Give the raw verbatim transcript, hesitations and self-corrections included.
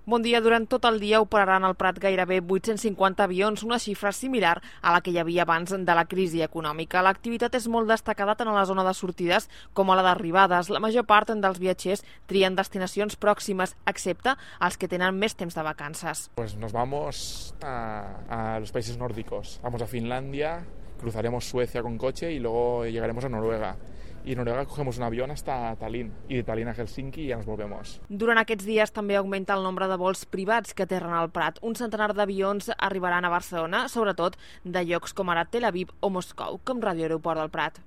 Bon dia. Durant tot el dia operaran al Prat gairebé vuit-cents cinquanta avions, una xifra similar a la que hi havia abans de la crisi econòmica. L'activitat és molt destacada tant a la zona de sortides com a la d'arribades. La major part dels viatgers trien destinacions pròximes, excepte els que tenen més temps de vacances. Pues nos vamos a, a los países nórdicos. Vamos a Finlandia, cruzaremos Suecia con coche y luego llegaremos a Noruega. Y en Noruega cogemos un avión hasta Tallinn, y de Tallinn a Helsinki y ya nos volvemos. Durant aquests dies també augmenta el nombre de vols privats que aterren al Prat. Un centenar d'avions arribaran a Barcelona, sobretot de llocs com ara Tel Aviv o Moscou, com Ràdio Aeroport del Prat.